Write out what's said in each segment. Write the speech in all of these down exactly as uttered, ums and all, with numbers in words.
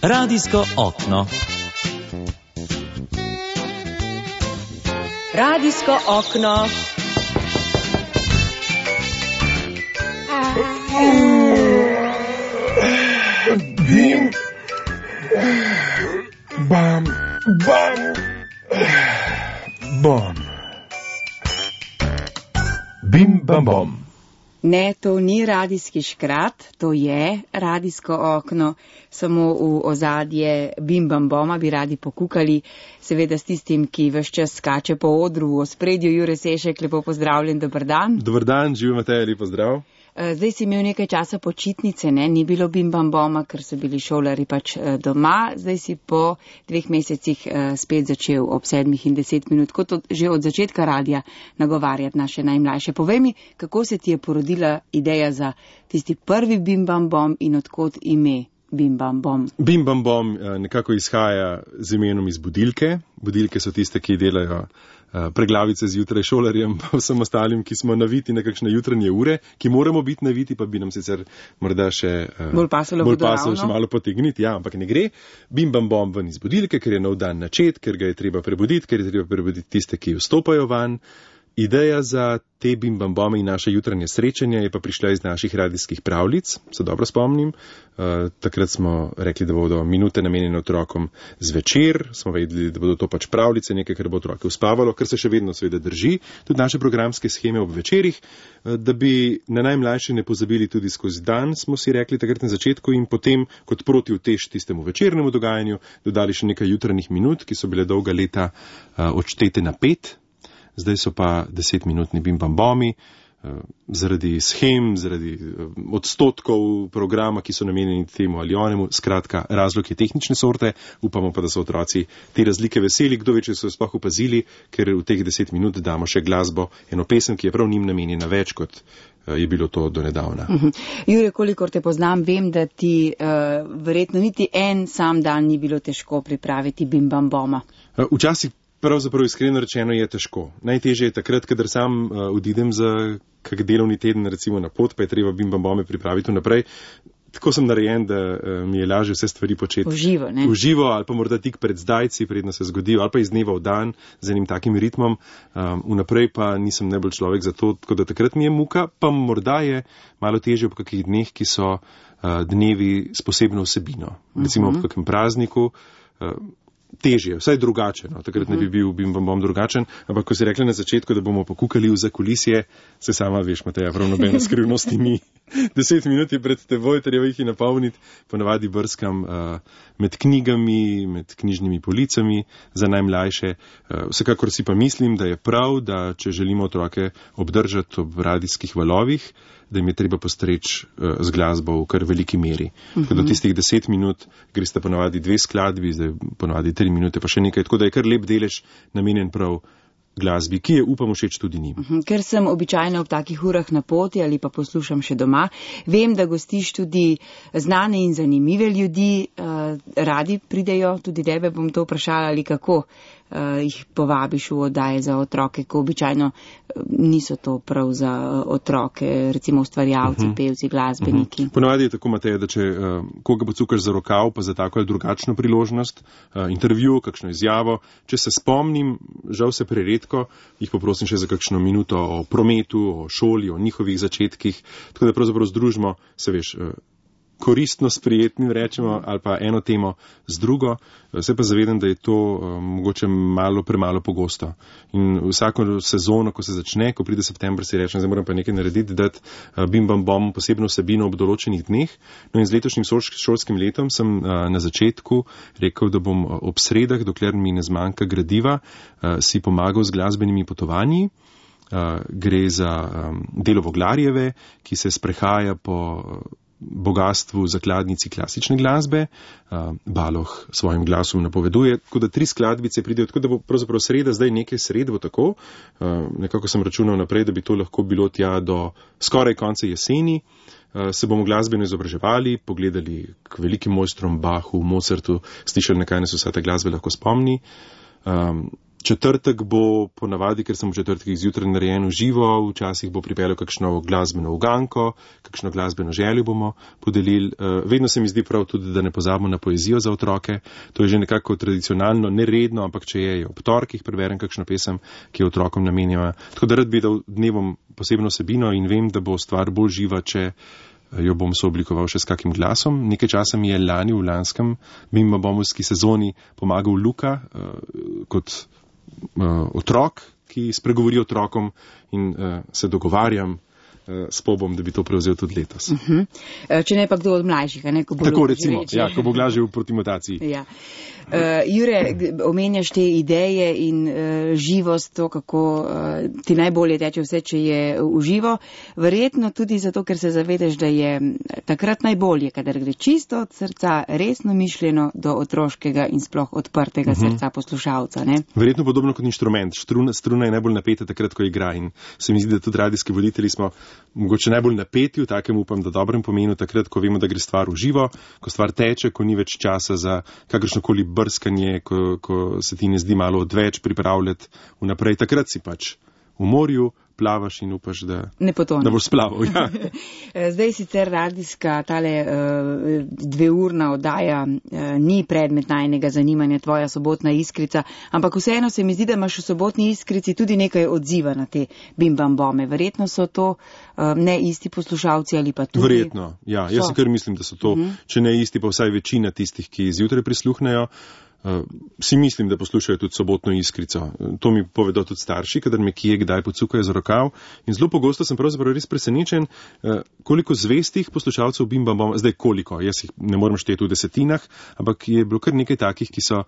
Radijsko okno. Radijsko okno. Bim, bam, bam, bom. Bim, bam, bom. Ne, to ni radijski škrat, to je radijsko okno, samo v ozadje Bim Bam Boma bi radi pokukali, seveda s tistim, ki ves čas skače po odru v ospredju. Jure Sešek, lepo pozdravljen, dober dan. Dober dan, živi Matej, lepo zdrav. Zdaj si imel nekaj časa počitnice, ne, ni bilo Bim Bam Boma, ker so bili šolari pač doma, zdaj si po dveh mesecih spet začel ob sedmih in deset minut, kot od, že od začetka radija nagovarjati naše najmlajše. Povej mi, kako se ti je porodila ideja za tisti prvi Bim Bam Bom in odkot ime Bim Bam Bom? Bim Bam Bom nekako izhaja z imenom iz budilke. Budilke so tiste, ki delajo preglavice zjutraj šolarjem, pa vsem ostalim, ki smo naviti na kakšne jutranje ure, ki moramo biti naviti, pa bi nam sicer morda še bolj pasalo, bolj pasalo še malo potegniti, ja, ampak ne gre. Bim Bam Bom ven iz budilke, ker je nov dan načet, ker ga je treba prebuditi, ker je treba prebuditi tiste, ki vstopajo van. Ideja za te Bim Bam Bome in naše jutranje srečanje je pa prišla iz naših radijskih pravljic, se dobro spomnim. Uh, takrat smo rekli, da bodo minute namenjene otrokom zvečer, smo vedeli, da bodo to pač pravljice, nekaj, kar bo otroke uspavalo, kar se še vedno seveda drži, tudi naše programske scheme ob večerih, uh, da bi na najmlajše ne pozabili tudi skozi dan, smo si rekli takrat na začetku, in potem kot protivtež tistemu večernemu dogajanju dodali še nekaj jutranjih minut, ki so bile dolga leta uh, odštete na pet. Zdaj so pa desetminutni Bim Bam Bomi, zaradi shem, zaradi odstotkov programa, ki so namenjeni temu ali onemu. Skratka, razlog je tehnične sorte, upamo pa, da so otroci te razlike veseli, kdo več so sploh opazili, ker v teh deset minut damo še glasbo, eno pesem, ki je prav njim namenjena več, kot je bilo to do nedavna. Uh-huh. Jure, kolikor te poznam, vem, da ti uh, verjetno niti en sam dan ni bilo težko pripraviti Bim Bam Boma. Včasih pravzaprav iskreno rečeno je težko. Najtežje je takrat, kadar sam uh, odidem za kak delovni teden, recimo na pot, pa je treba Bim Bam Bome pripraviti vnaprej. Tako sem narejen, da uh, mi je lažje vse stvari početi. Uživo, ne? Uživo, ali pa morda tik pred zdajci, predno se zgodijo, ali pa iz dneva v dan z enim takim ritmom. Um, vnaprej pa nisem najbolj človek za to, tako da takrat mi je muka, pa morda je malo težje ob kakih dneh, ki so uh, dnevi s posebno vsebino. Recimo uh-huh. ob kakem prazniku. Uh, Težje, vsaj drugačen, no. Takrat ne bi bil Bim Bam Bom drugačen, ampak ko si rekli na začetku, da bomo pokukali v zakulisje, se sama veš, Mateja, prav nobene skrivnosti ni. Deset minut je pred teboj, treba jih napolniti, ponavadi brskam uh, med knjigami, med knjižnimi policami za najmlajše. Uh, vsekakor si pa mislim, da je prav, da če želimo otroke obdržati ob radijskih valovih, da jim je treba postreči uh, z glasbo v kar veliki meri. Uh-huh. Do tistih deset minut greste ponavadi dve skladbi, zdaj ponavadi tri minute, pa še nekaj, tako da je kar lep delež namenjen prav glasbi, ki je, upam, všeč tudi njim. Uh-huh. Ker sem običajno ob takih urah na poti ali pa poslušam še doma, vem, da gostiš tudi znane in zanimive ljudi, uh, radi pridejo, tudi tebe bom to vprašala, ali kako uh, jih povabiš v oddaje za otroke, ko običajno uh, niso to prav za uh, otroke, recimo ustvarjalci, uh-huh. pevci, glasbeniki. Uh-huh. Ponavadi je tako, Mateja, da če uh, koga pocukaš za rokav, pa za tako ali drugačno priložnost, uh, intervju, kakšno izjavo, če se spomnim, žal se preredko, jih poprosim še za kakšno minuto o prometu, o šoli, o njihovih začetkih, tako da pravzaprav združimo, se veš, koristno s prijetnim, rečemo, ali pa eno temo z drugo. Se pa zavedam, da je to um, mogoče malo premalo pogosto. In vsako sezono, ko se začne, ko pride september, si rečem, zdaj moram pa nekaj narediti, dati uh, Bim Bam Bom posebno vsebino ob določenih dneh. No in z letošnjim šolskim letom sem uh, na začetku rekel, da bom ob sredah, dokler mi ne zmanjka gradiva, uh, si pomagal z glasbenimi potovanji. Uh, gre za um, delo Voglarjeve, ki se sprehaja po uh, bogatstvu zakladnici klasične glasbe. Uh, Baloh svojim glasom napoveduje, tako da tri skladbice pridejo, tako da bo pravzaprav sreda, zdaj nekaj sred bo tako. Uh, nekako sem računal naprej, da bi to lahko bilo tja do skoraj konca jeseni. Uh, se bomo glasbeno izobraževali, pogledali k velikim mojstrom Bachu, Mozartu, slišali, na kaj nas vsa ta glasba lahko spomni. Um, Četrtek bo ponavadi, ker sem v četrtekih zjutraj narejen v živo, včasih bo pripeljal kakšno glasbeno uganko, kakšno glasbeno željo bomo podelili. Vedno se mi zdi prav tudi, da ne pozabimo na poezijo za otroke. To je že nekako tradicionalno, neredno, ampak če je ob torkih preberem kakšno pesem, ki je otrokom namenjena. Tako da rad bi dal dnevom posebno vsebino in vem, da bo stvar bolj živa, če jo bom sooblikoval še s kakim glasom. Nekaj časa mi je lani v lanskem bimbabomovski sezoni pomagal Luka kot Uh, otrok, ki spregovori otrokom in uh, se dogovarjam uh, s Pobom, da bi to prevzel tudi letos. Uh -huh. Če ne pa kdo od mlajših, ne? Ko bo tako recimo, ja, ko bo glažil proti mutaciji. Ja. Uh, Jure, omenjaš te ideje in uh, živost, to, kako uh, ti najbolje teče vse, če je v živo. Verjetno tudi zato, ker se zavedaš, da je takrat najbolje, kadar gre čisto od srca, resno mišljeno do otroškega in sploh odprtega uh -huh. srca poslušalca. Ne? Verjetno podobno kot inštrument. Struna, struna je najbolj napeta takrat, ko igra in se mi zdi, da tudi radijski voditelji smo mogoče najbolj napeti v takem, upam, da dobrem pomenu, takrat, ko vemo, da gre stvar v živo, ko stvar teče, ko ni več časa za kakršnokoli brskanje, ko, ko se ti ne zdi malo odveč pripravljati vnaprej. Takrat si pač v morju, plavaš in upaš, da, da boš splaval. Ja. Zdaj sicer radijska tale uh, dveurna oddaja uh, ni predmet najnega zanimanja, tvoja sobotna iskrica, ampak vseeno se mi zdi, da imaš v sobotni iskrici tudi nekaj odziva na te bimbambome. Verjetno so to uh, ne isti poslušalci ali pa tudi. Verjetno, ja. Jaz si kar mislim, da so to, uh -huh. če ne isti, pa vsaj večina tistih, ki zjutraj prisluhnejo. Uh, si mislim, da poslušajo tudi sobotno iskrico. To mi povedo tudi starši, kadar me kje kdaj pocukajo za rokav. In zelo pogosto sem pravzaprav res presenečen, uh, koliko zvestih poslušalcev bimbamboma, zdaj koliko, jaz jih ne morem šteti v desetinah, ampak je bilo kar nekaj takih, ki so uh,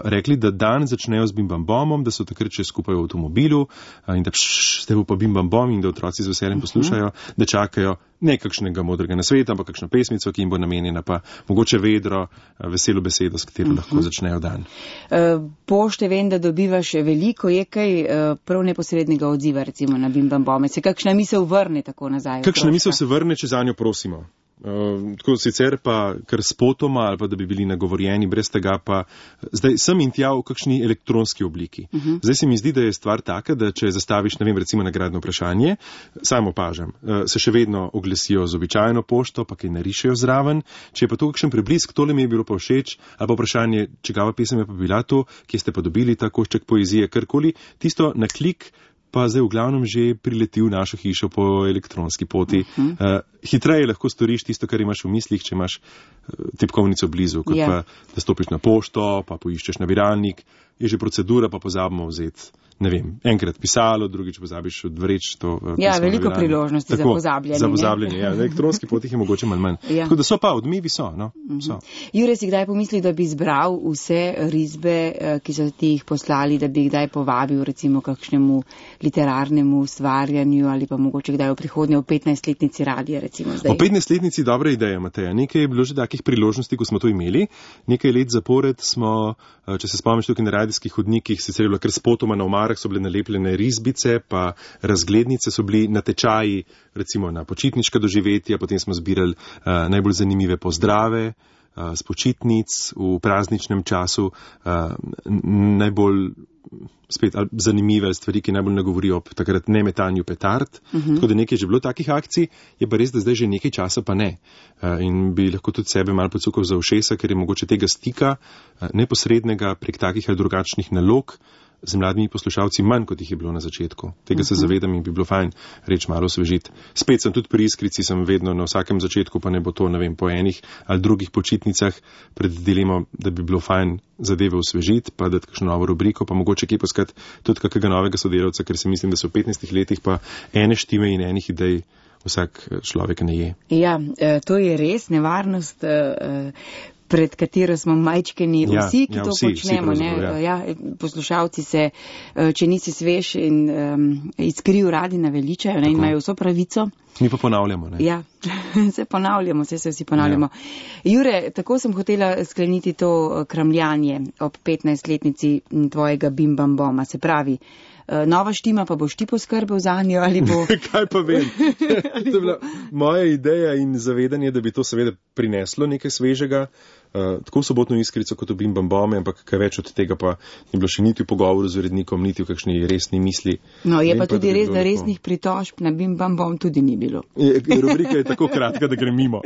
rekli, da dan začnejo z bimbambomom, da so takrat še skupaj v avtomobilu uh, in da pšš, ste bo pa bimbambom in da otroci z veseljem poslušajo, uh -huh. da čakajo ne kakšnega modrega nasveta, ampak kakšno pesmico, ki jim bo namenjena, pa mogoče vedro, veselo besedo, s katero uh -huh. lahko začnejo dan. Pošte vem, da dobivaš veliko, je kaj prav neposrednega odziva recimo na bimbambome. Se kakšna misel vrne tako nazaj? Kakšna misel se vrne, če za njo prosimo? Uh, tako sicer pa kar spotoma ali pa da bi bili nagovorjeni, brez tega pa zdaj sem in tja v kakšni elektronski obliki. Uh -huh. Zdaj se mi zdi, da je stvar taka, da če zastaviš, ne vem, recimo nagradno vprašanje, samo opažam, uh, se še vedno oglasijo z običajno pošto, pa kaj narišejo zraven. Če je pa to kakšen preblisk, tole mi je bilo pa všeč, ali pa vprašanje, čigava pesem je pa bila to, kje ste pa dobili ta košček poezije, karkoli, tisto na klik pa zdaj v glavnem že prileti v našo hišo po elektronski poti. Uh -huh. uh, hitreje lahko storiš tisto, kar imaš v mislih, če imaš uh, tipkovnico blizu, kot yeah. pa da stopiš na pošto, pa poiščeš nabiralnik, je že procedura, pa pozabimo vzeti, ne vem, enkrat pisalo, drugič pozabiš odvreč to. Uh, ja, veliko priložnosti Tako, za pozabljanje. Za pozabljanje, ja. Na elektronski poti je mogoče manj manj. Ja. Tako da so pa, odmevi so, no. Uh -huh. so. Jure, si kdaj pomislil, da bi zbral vse risbe, ki so ti jih poslali, da bi jih kdaj povabil recimo kakšnemu literarnemu ustvarjanju ali pa mogoče kdaj v prihodnje v petnajstletnici radija recimo zdaj? V petnajstletnici dobra ideja, Mateja. Nekaj je bilo že takih priložnosti, ko smo to imeli. Nekaj let zapored smo, če se spomniš tukaj na radijskih hodnikih, sicer je bilo kar spotoma na omarah, so bile nalepljene risbice, pa razglednice, so bili natečaji recimo na počitniška doživetja, potem smo zbirali uh, najbolj zanimive pozdrave uh, z počitnic v prazničnem času, uh, najbolj spet zanimive stvari, ki najbolj nagovorijo ob takrat nemetanju petard. Uh-huh. Tako da nekaj je že bilo takih akcij, je pa res, da zdaj že nekaj časa pa ne. Uh, in bi lahko tudi sebe malo pocukal za ušesa, ker je mogoče tega stika uh, neposrednega prek takih ali drugačnih nalog z mladimi poslušalci manj, kot jih je bilo na začetku. Tega uh-huh. se zavedam in bi bilo fajn reč malo osvežiti. Spet sem tudi pri iskrici, sem vedno na vsakem začetku, pa ne bo to, ne vem, po enih ali drugih počitnicah pred dilemo, da bi bilo fajn zadeve osvežiti, pa dati kakšno novo rubriko, pa mogoče kje poskati tudi kakega novega sodelavca, ker se mislim, da so v petnajstih letih pa ene štime in enih idej vsak človek ne je. Ja, to je res nevarnost, pred katero smo majčkeni ja, vsi, ki ja, to vsi, počnemo. vsi ne? ja. Ja, poslušalci se, če nisi svež in um, izkriv radi naveličajo ne? In imajo vso pravico. Mi pa ponavljamo. Ne? Ja, se ponavljamo, se, se vsi ponavljamo. Ja. Jure, tako sem hotela skleniti to kramljanje ob petnajstletnici tvojega bimbamboma. Se pravi, nova štima, pa boš ti poskrbel za njo ali bo... Kaj pa vem? To je bila moja ideja in zavedanje, da bi to seveda prineslo nekaj svežega, uh, tako v Sobotno iskrico kot v Bim Bam Bome, ampak kaj več od tega pa ni bilo še niti v pogovoru z urednikom, niti v kakšni resni misli. No, je Vem pa tudi da res, bi da bilo resnih pritožb na Bim Bam Bom tudi ni bilo. Je, rubrika je tako kratka, da gre mimo.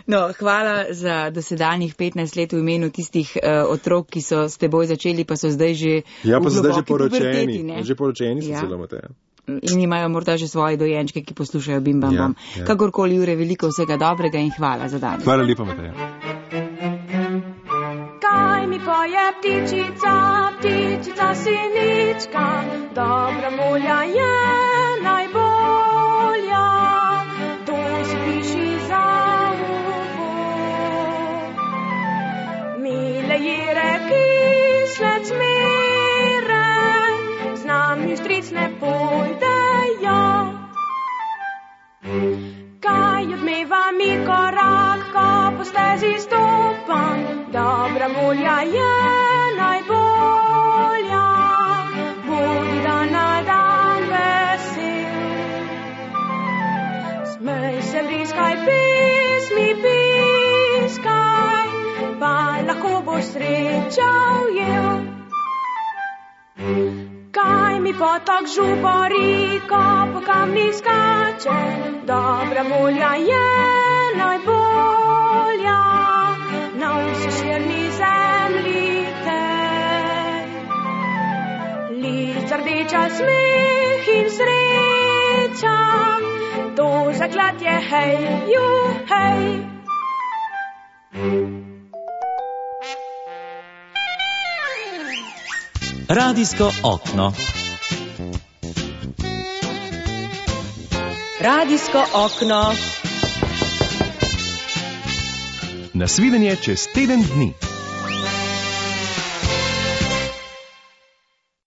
No, hvala za dosedanjih petnajst let v imenu tistih uh, otrok, ki so s teboj začeli, pa so zdaj že Ja, pa v so zdaj že globoki puberteti, poročeni. ne? Že poročeni so Ja. celo, Mateja. In imajo morda že svoje dojenčke, ki poslušajo Bim Bam Ja, Bom. ja. Kakorkoli, Jure, veliko vsega dobrega in hvala za danes. Hvala lepa, Mateja. Kaj mi poje ptičica, ptičica sinička, dobra mulja je najbolja, to si piši za uho. Mile jire kislec mire, z nami stric ne pojdejo. Kaj odmeva mi korak, ko po stezi stopam, dobra mulja je najbolja, budi dan na dan vesel. Smej se, vriskaj, pismi piskaj, pa lahko boš sreča ujel. Kaj mi potok žubori, ko po kamnih skače, dobra mulja je najbolja, na vsi širni zemlji tej. Lica rdeča, smeh in sreča, to zaklatje, hej, ju, hej. Radijsko okno. Radijsko okno. Nasvidenje čez teden dni.